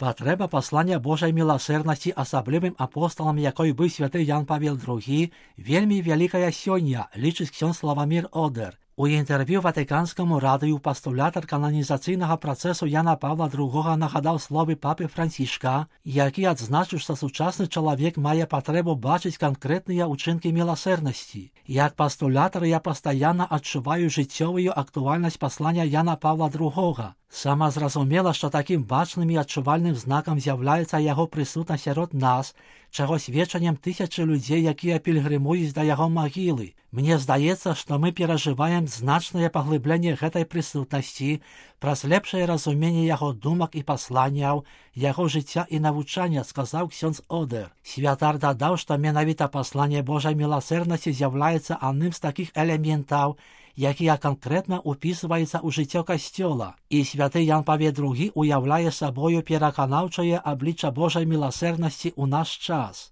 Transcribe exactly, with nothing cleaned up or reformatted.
Патрэба паслання Божай міласэрнасці асаблівым апосталам, якой быў святы Ян Павел другі, вельмі вялікая сёння, лічыць ксёндз Славамір Одер. У інтэрв'ю Ватыканскаму радыю пастулятар кананізацыйнага працэсу Яна Павла другога нагадаў словы папы Францішка, які адзначыў, што сучасны чалавек мае патрэбу бачыць канкрэтныя ўчынкі міласэрнасці. Як пастулятар я пастаянна адчуваю жыццёвую актуальнасць паслання Яна Павла другога. Сама зразумела, што такім бачным і адчувальным знакам з'яўляецца яго прысутнасць сярод нас, чаго сведчаннем тысячы людзей, якія пільгрымуюць да яго магілы. Мне здаецца, што мы перажываем значнае паглыбленне гэтай прысутнасці праз лепшае разуменне яго думак і пасланняў, яго жыцця і навучання, сказаў ксёндз Одер. Святар дадаў, што менавіта пасланне Божай міласэрнасці з'яўляецца адным з такіх элементаў, якія канкрэтна ўпісваецца ў жыццё касцёла. І святы Ян Павел другі уяўляе сабою пераканаўчае аблічча Божай міласэрнасці ў наш час.